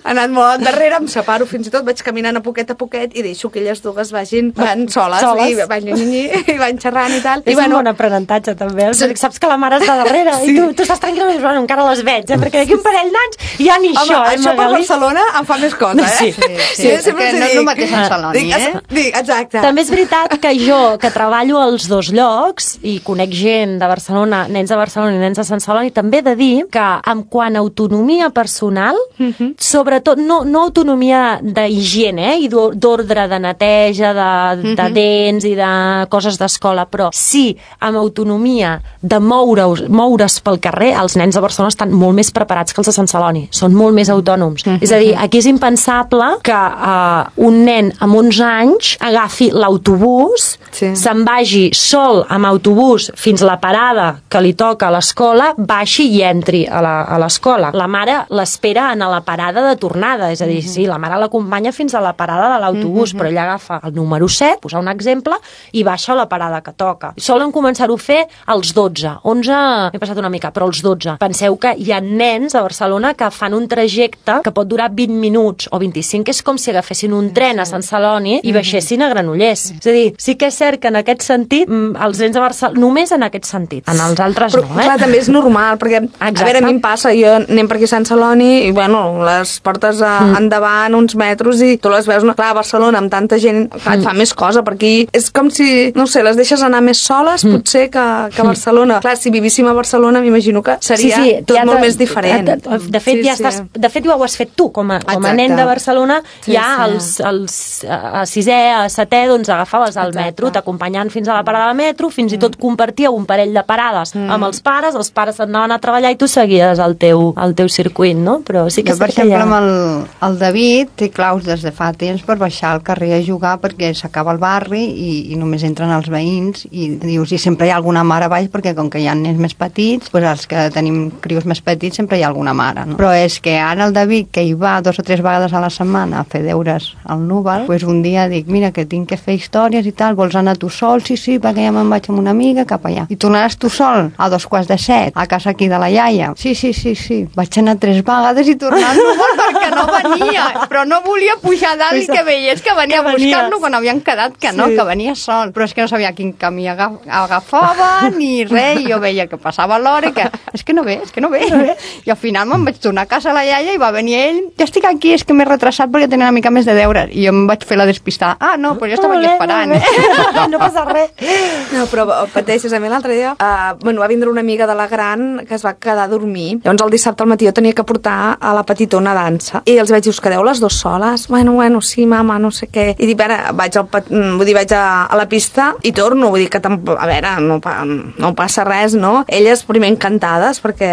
anant molt endarrere, em separo fins i tot, vaig caminant a poquet a poquet i deixo que elles dues vagin, van soles, soles. I, van, i van xerrant i tal. És I, bueno, un bon aprenentatge també, sí. saps que la mare està darrere sí. i tu, tu estàs tranquil·la i bueno, encara les veig, eh? Perquè d'aquí un parell d'anys ja ni home, això, eh, això per Barcelona em fa més cosa, eh? Sí, sí, sí, sí, sí que no és el mateix en Saloni, eh? Dic, exacte. També és veritat que jo, que treballo als dos llocs i conec gent de Barcelona, nens de Barcelona i nens de Sant Celoni, també he de dir que en quant a autonomia personal, uh-huh. sobretot, no, no autonomia d'higiene, eh? I d'ordre de neteja, de, uh-huh. de dents i de coses d'escola, però sí amb autonomia de moure-us, moure's pel carrer, els nens de Barcelona estan molt més preparats que els de Sant Celoni, són molt més autònoms. Uh-huh. És a dir, aquí és impensable que uh, un nen amb onze anys agafi l'autobús, sí. se'n vagi sol amb autobús fins a la parada que li toca a l'escola, baixi i entri a l'escola. La mare l'espera a la parada parada de tornada, és a dir, sí, la mare l'acompanya fins a la parada de l'autobús, però ella agafa el número set, posar un exemple, i baixa a la parada que toca. Solen començar-ho a fer als dotze, onze m'he passat una mica, però als dotze. Penseu que hi ha nens a Barcelona que fan un trajecte que pot durar vint minuts o vint-i-cinc, que és com si agafessin un tren a Sant Celoni i baixessin a Granollers. És a dir, sí que és cert que en aquest sentit, els nens de Barcelona, només en aquest sentit, en els altres però, no, eh? Clar, també és normal, perquè, Exacte. a veure, a mi em passa, jo anem per aquí a Sant Celoni i, bueno, les portes a, mm. endavant uns metros i tu les veus, no? Clar, a Barcelona amb tanta gent, clar, et fa mm. més cosa, perquè és com si, no sé, les deixes anar més soles, mm. potser que, que a Barcelona. Mm. Clar, si vivíssim a Barcelona, m'imagino que seria sí, sí, tot ja molt més diferent. De, de, de fet, sí, ja sí. estàs, de fet, ja ho has fet tu, com a, com a nen de Barcelona, sí, ja sí. els, els a sisè, a setè, doncs agafaves el Exacte. metro, t'acompanyant fins a la parada del metro, fins mm. i tot compartíeu un parell de parades mm. amb els pares, els pares anaven a treballar i tu seguies el teu, el teu circuit, no? Però sí que jo, per exemple, ha... amb el, el David té claus des de fa temps per baixar al carrer a jugar perquè s'acaba el barri i, i només entren els veïns i dius, i sempre hi ha alguna mare a baix perquè com que hi ha nens més petits, doncs els que tenim crios més petits sempre hi ha alguna mare, no? Però és que ara el David, que hi va dos o tres vegades a la setmana a fer deures al Núvol, doncs un dia dic, mira, que tinc que fer històries i tal, vols anar tu sol? Sí, sí, perquè ja me'n vaig amb una amiga cap allà. I tornaràs tu sol a dos quarts de set, a casa aquí de la iaia? Sí, sí, sí, sí. Vaig anar tres vegades i tornar al Núvol perquè no venia, però no volia pujar dalt i que veiés que venia a buscar-lo quan havien quedat que no, sí. que venia sol. Però és que no sabia quin camí agaf agafava ni res, i jo veia que passava l'hora i que és que no ve, és que no ve. I al final me'n vaig tornar a casa a la iaia i va venir ell, ja estic aquí, és que m'he retrasat perquè tenia una mica més de deures. I jo em vaig fer la despistada. Ah, no, però jo estava aquí esperant. Eh? No passa res. No, però pateixes. A mi l'altre dia uh, bueno, va vindre una amiga de la gran que es va quedar a dormir. Llavors el dissabte al matí jo tenia que portar a la petitona a dansa. I els vaig dir, us quedeu les dues soles? Bueno, bueno, sí, mama, no sé què. I dic, a veure, vaig, al, vull dir, vaig a, a la pista i torno. Vull dir que, a veure, no, no passa res, no? Elles primer encantades, perquè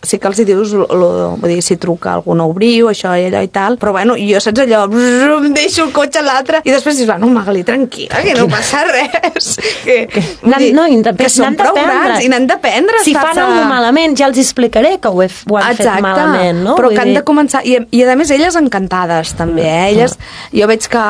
sí que els hi dius, lo, vull dir, si truca algú no obriu, això i allò i tal, però bueno, jo saps allò, brrr, em deixo el cotxe a l'altre, i després dius, bueno, Magali, tranquil·la, que no passa res. Que, no, dir, no, que són prou grans i n'han d'aprendre. Si fan alguna malament, ja els explicaré que ho, he, ho han Exacte. fet malament, no? Però vull que han de començar, i, i a més elles encantades també, eh? Elles, jo veig que,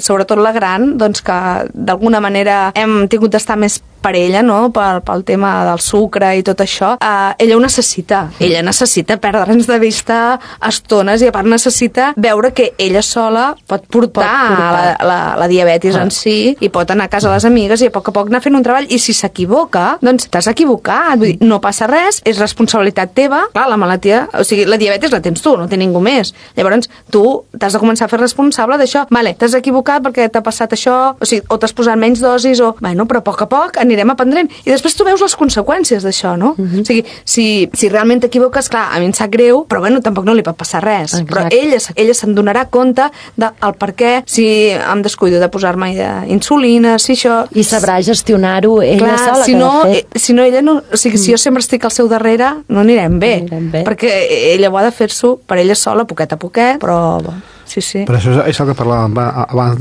sobretot la gran, doncs que d'alguna manera hem tingut d'estar més per ella, no? Pel, pel tema del sucre i tot això, uh, ella ho necessita. Ella necessita perdre'ns de vista estones i a part necessita veure que ella sola pot portar, pot portar. La, la, la diabetis ah. en si i pot anar a casa a les amigues i a poc a poc anar fent un treball, i si s'equivoca, doncs t'has equivocat. Vull dir, no passa res, és responsabilitat teva. Clar, la malaltia, o sigui, la diabetis la tens tu, no té ningú més. Llavors, tu t'has de començar a fer responsable d'això. Vale, t'has equivocat perquè t'ha passat això, o sigui, o t'has posat menys dosis, o... Bueno, però a poc a poc anirem aprendent. I després tu veus les conseqüències d'això, no? Uh-huh. O sigui, si, si realment t'equivoques, clar, a mi em sap greu, però bueno, tampoc no li pot passar res. Exacte. Però ella, ella se'n donarà compte del per què, si em descuido de posar-me insulina, si això... I sabrà gestionar-ho ella clar, sola, si que no, de fet... si no, ella no... O sigui, mm. si jo sempre estic al seu darrere, no anirem bé. No anirem bé. Perquè ella ho ha de fer-s'ho per ella sola, poquet a poquet, però... Sí, sí. Però això és el que parlàvem abans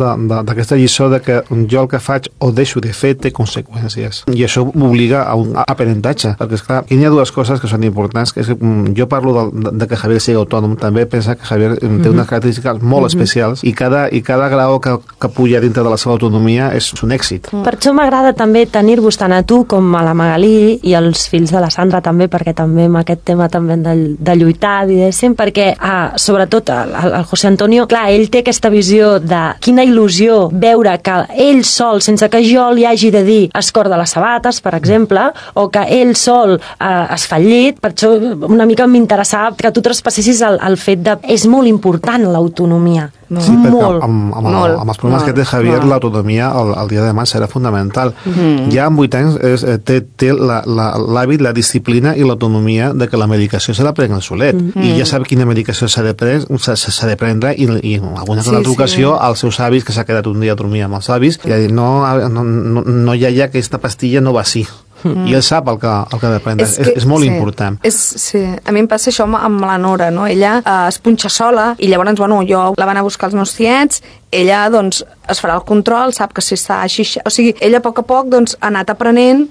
d'aquesta lliçó de que jo el que faig o deixo de fer té conseqüències. I això m'obliga a un aprenentatge. Perquè, esclar, aquí hi ha dues coses que són importants. Que és que jo parlo de, de que Javier sigui autònom. També pensa que Javier té mm-hmm. unes característiques molt mm-hmm. especials i cada, i cada grau que, que puja dintre de la seva autonomia és un èxit. Mm. Per això m'agrada també tenir-vos tant a tu com a la Magalí i els fills de la Sandra també, perquè també amb aquest tema també de, de lluitar, diguéssim, perquè ah, sobretot el, el José Antonio, clar, ell té aquesta visió de quina il·lusió veure que ell sol, sense que jo li hagi de dir es corda les sabates, per exemple, o que ell sol eh, es fa el llit. Per això una mica m'interessava que tu traspassessis el, el fet de... És molt important l'autonomia. No. Sí, perquè molt, amb, amb, molt, amb els problemes molt, que té Javier, l'autonomia el, el dia de demà serà fundamental. Mm. Ja amb vuit anys és, té, té l'hàbit, la, la disciplina i l'autonomia de que la medicació s'ha de prendre solet. Mm. I ja sap quina medicació s'ha de, s'ha de prendre i, i en alguna sí, altra ocasió sí. als seus avis, que s'ha quedat un dia a dormir amb els avis, i ha dit, no, no, no, no hi ha ja aquesta pastilla, no va així. Mm. I ell sap el que, el que ha de prendre. És, que, és, és molt sí, important. És, sí. A mi em passa això amb, amb la Nora, no? Ella eh, es punxa sola i llavors, bueno, jo la van a buscar els meus tiets, ella, doncs, es farà el control, sap que si està així... O sigui, ella a poc a poc doncs, ha anat aprenent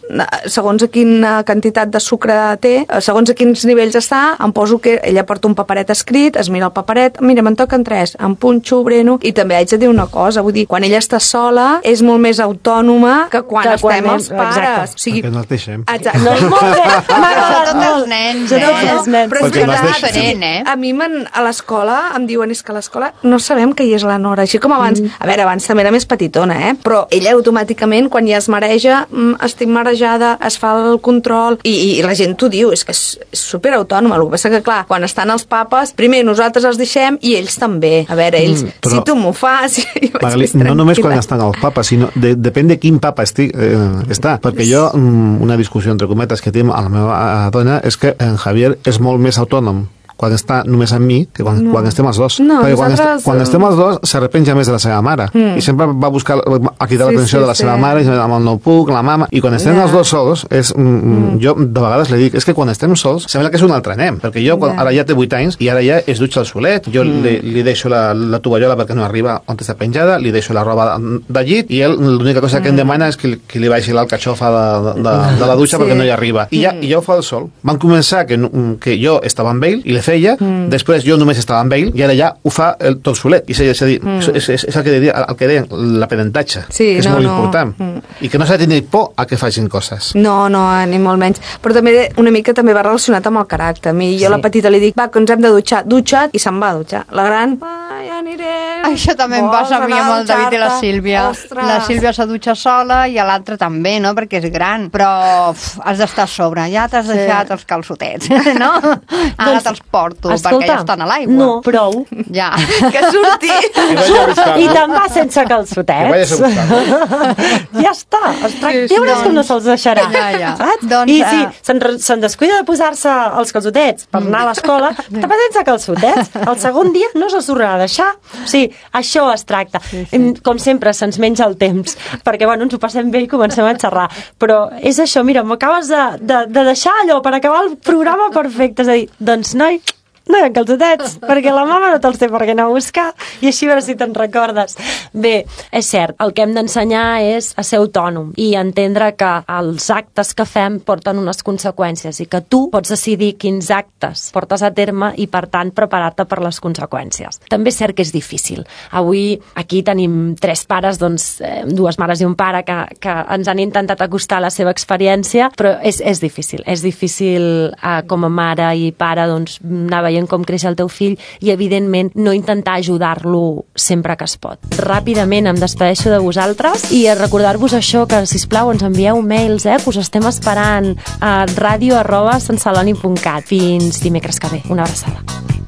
segons a quina quantitat de sucre té, segons a quins nivells està, em poso que ella porta un paperet escrit, es mira el paperet, mira, me'n toquen tres, em punxo, breno, i també haig de dir una cosa, vull dir, quan ella està sola és molt més autònoma que quan que estem quan els pares. Exacte. O sigui, perquè no els deixem. Exacte. No, molt bé, m'ha agradat Tots els molt. nens, Jo eh? tots els nens. Però és Perquè veritat, les deixes. diferent, eh? a mi a l'escola em diuen és que a l'escola no sabem que hi és la Nora, així com abans, mm. a veure, abans també era més petitona, eh? Però ella automàticament quan ja es mareja, mm, estic marejada, es fa el control i, i la gent t'ho diu, és que és, és superautònoma, el que passa que clar, quan estan els papes, primer nosaltres els deixem i ells també, a veure, ells, mm, però... si tu m'ho fas jo Magali, no només quan estan els papas, sinó de, depèn de quin papa estic, eh, està, perquè jo una discussió entre cometes que tinc amb la meva dona és que en Javier és molt més autònom quan està només amb mi que quan, no. quan estem els dos. No, perquè quan, nosaltres... est quan estem els dos s'arrepenja més de la seva mare mm. i sempre va buscar a cridar sí, l'atenció sí, de la seva sí. mare i amb el no puc, la mama, i quan estem yeah. els dos sols és, mm. jo de vegades li dic és que quan estem sols sembla que és un altre nen perquè jo quan, yeah. ara ja té vuit anys i ara ja es dutxa el solet, jo mm. li, li deixo la, la tovallola perquè no arriba on està penjada, li deixo la roba de llit i ell l'única cosa mm. que em demana és que, que li baixi l'alcachofa de, de, de, de la dutxa sí. perquè no hi arriba i ja, mm. i ja ho fa el sol. Van començar que, que jo estava amb ell i le feia, mm. després jo només estava amb ell i ara ja ho fa el, tot solet i és, dir, mm. és, és, és el que deia, el que deien l'aprenentatge, sí, que és no, molt no. important mm. i que no s'ha de tenir por a que facin coses. No, no, ni molt menys, però també una mica també va relacionat amb el caràcter. A mi, jo sí. a la petita li dic, va, que ens hem de dutxar, dutxa't, i se'n va a dutxar. La gran, va, ja anirem. Això també em passa a mi amb el David i la Sílvia. Ostres. La Sílvia se dutxa sola i l'altra també, no?, perquè és gran, però uf, has d'estar a sobre, ja t'has sí. deixat els calçotets, no? Ara doncs, te'ls porto, escolta, perquè ja estan a l'aigua. No, prou. Ja. Que surti. I te'n va sense calçotets. Ja està. Ostres, ja veuràs com no se'ls deixarà. Ja, ja. Saps? Doncs, I si se'n se descuida de posar-se els calçotets per anar a l'escola, te'n va sense calçotets. El segon dia no se'ls tornarà a deixar. O sigui, això es tracta. Sí, sí. Com sempre, se'ns menja el temps, perquè bueno, ens ho passem bé i comencem a xerrar. Però és això, mira, m'acabes de, de, de deixar allò per acabar el programa perfecte. És a dir, doncs, noi, no hi ha calçotets, perquè la mama no te'ls té per què anar a buscar, i així a veure si te'n recordes. Bé, és cert, el que hem d'ensenyar és a ser autònom i entendre que els actes que fem porten unes conseqüències i que tu pots decidir quins actes portes a terme i, per tant, preparar-te per les conseqüències. També és cert que és difícil. Avui aquí tenim tres pares, doncs, eh, dues mares i un pare que, que ens han intentat acostar a la seva experiència, però és, és difícil. És difícil eh, com a mare i pare, doncs, anar veient com creix el teu fill i, evidentment, no intentar ajudar-lo sempre que es pot. Ràpidament em despedeixo de vosaltres i a recordar-vos això, que, sisplau, ens envieu mails, eh, que us estem esperant a ràdio arroba sant celoni punt cat. Fins dimecres que ve. Una abraçada.